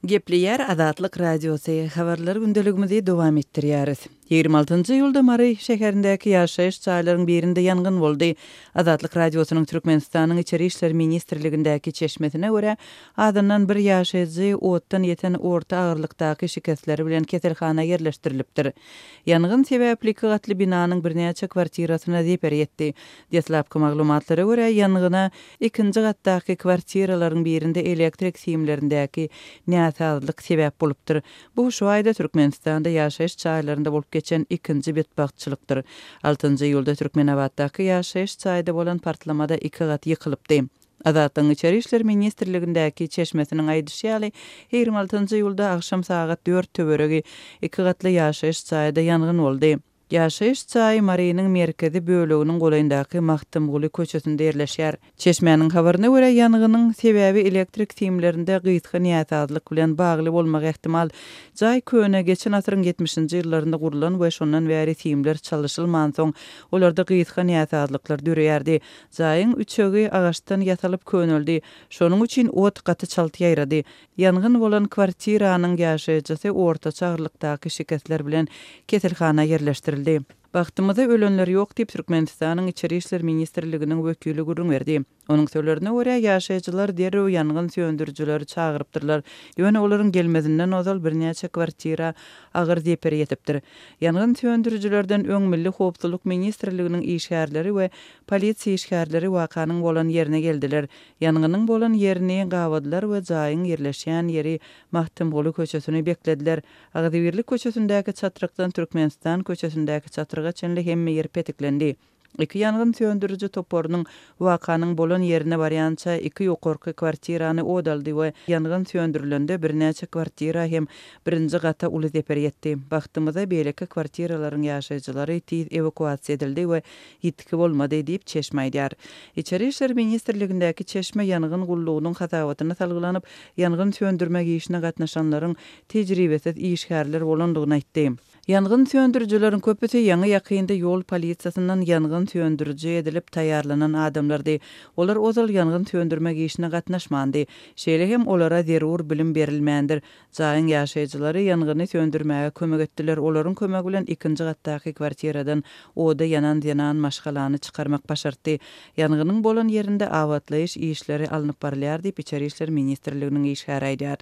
Gepleýär Azatlyk Radiosy, Habarlar gündeligimizi dowam etdirýäris. 26-njy iýulda Mary şäherindäki ýaşaýyş jaýlaryň birinde ýangyn boldy. Azatlyk Radiosynyň Türkmenistanyň Içeri işler ministrligindäki çeşmesine görä, azyndan bir ýaşaýjy otdan ýeten orta agyrlykdaky şikesleri bilen keselhana ýerleşdirilipdir. Ýangyn sebäpli iki gatly binanyň birnäçe kwartirasyna zeper ýetdi. Deslapky maglumatlara görä, ýangyna ikinji gatdaky kwartiralaryň birinde elektrik simlerindäki näsazlyk sebäp bolupdyr. Bu şu aýda Türkmenistanda ýaşaýyş jaýlarynda bolup geçen ikinji betbagtçylykdyr. Altynjy iýulda Türkmenabatdaky ýaşaýyş jaýda bolan partlamada iki gat ýykylypdy. Azatlygyň Içeri işler ministrligindäki çeşmesiniň aýdyşy ýaly, 26 iýulda agşam sagat dört töweregi iki gatly ýaşaýyş jaýda ýangyn boldy. Ýaşaýyş jaýy Marynyň merkezi böleginiň golaýyndaky Magtymguly köçesinde ýerleşýär. Çeşmäniň habaryna görä, ýangynyň sebäbi elektrik simlerinde gysga näsazlyk bilen bagly bolmagy ähtimal. Jaý köne, geçen asyryň ýetmişinji ýyllarynda gurlan we şondan bäri simler çalyşylmansoň, olarda gysga näsazlyklar döreýärdi. Jaýyň üçegi agaçdan ýasalyp köneldi. Şonuň üçin ot gaty çalt ýaýrady. Ýangyn bolan kwartiranyň ýaşaýjysy ortaça agyrlykdaky şikesler bilen keselhana ýerleşdirildi. Bagtymyza ölenler ýok diýip, Türkmenistanyň Içeri işler ministrliginiň wekili gürrüň berdi. Onuň sözlerine görä, ýaşaýjylar derrew ýangyn söndürijileri çagyrypdyrlar. Ýöne olaryň gelmezinden ozal birnäçe kwartira agyr zeper ýetipdir. Ýangyn söndürijilerden öň Milli howpsuzlyk ministrliginiň işgärleri we polisiýa işgärleri wakanyň bolan ýerine geldiler. Ýangynyň bolan ýerini gabadylar we jaýyň ýerleşýän ýeri Magtymguly köçesini beklediler. Agzybirlik köçesindäki çatrykdan Türkmenistan köçesindäki çatryga çenli hemme ýer petiklendi. Iki ýangyn söndüriji toparynyň wakanyň bolan ýerine barýança iki ýokarky kwartirany ot aldy we ýangyn söndürilende birnäçe kwartira hem birinji gata uly zeper ýetdi. Bagtymyza beýleki kwartiralaryň ýaşaýjylary tiz ewakuasiýa edildi we Ýitgi bolmady, diýip, çeşme aýdýar. Içeri işler ministrligindäki çeşme ýangyn gullugynyň hasabatyna salgylanyp, ýangyn söndürmek işine gatnaşanlaryň tejribesiz işgärler bolandygyny aýtdy. Ýangyn söndürijileriň köpüsi ýaňy-ýakynda ýol polisiýasyndan ýangyn söndüriji edilip taýýarlanan adamlardy. Olar ozal ýangyn söndürmek işine gatnaşmandy. Şeýle hem olara zerur bilim berilmändir. Jaýyň ýaşaýjylary ýangyny söndürmäge kömek etdiler, olaryň kömegi bilen ikinji gatdaky kwartiradan oda ýanan zenan maşgalany çykarmak başartdy. Ýangynyň bolan ýerinde abatlaýyş işleri alnyp barylýar diýip, Içeri işler ministrliginiň işgäri aýdýar.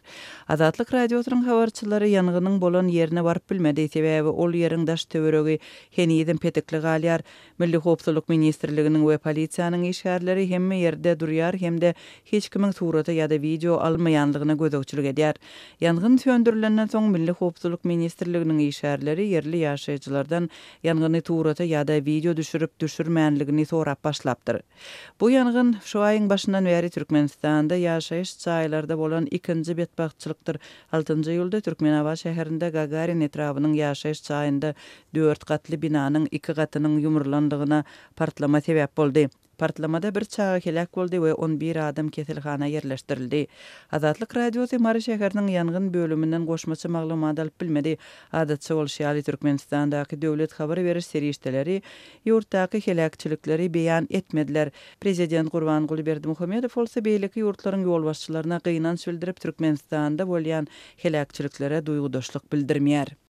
Azatlyk Radiosynyň habarçylary ýangynyň bolan ýerine baryp bilmedi, sebäbi ol ýeriň daş-töweregi henizem petikli galýar. Milli howpsuzlyk ministrliginiň we polisiýanyň işgärleri hemme ýerde durýar hem-de hiç kimiň surata ýa-da wideo almaýanlygyna gözegçilik edýär. Ýangyn söndürilenden soň Milli howpsuzlyk ministrliginiň işgärleri ýerli ýaşaýjylardan ýangyny surata ýa-da wideo düşürip düşürmänligini sorap başlapdyr. Bu ýangyn şu aýyň başyndan bäri Türkmenistanda ýaşaýyş jaýlarda bolan ikinji betbagtçylykdyr. Altynjy iýulda Türkmenabat şäherinde Gagarin etrabynyň ýaşaýyş jaýynda Dört gatly binanyň iki gatynyň ýumrulandygyna partlama sebäp boldy. Partlamada bir çaga heläk boldy we on bir adam keselhana ýerleşdirildi. Azatlyk Radiosy Mary şäheriniň ýangyn bölüminden goşmaça maglumat alyp bilmedi. Adatça bolşy ýaly, Türkmenistandaky döwlet habar beriş serişdeleri ýurtdaky heläkçilikleri beýan etmediler. Prezident Gurbanguly Berdimuhamedow bolsa beýleki ýurtlaryň ýolbaşçylaryna gynanç bildirip, Türkmenistanda bolýan heläkçiliklere duýgudaşlyk bildirmeýär.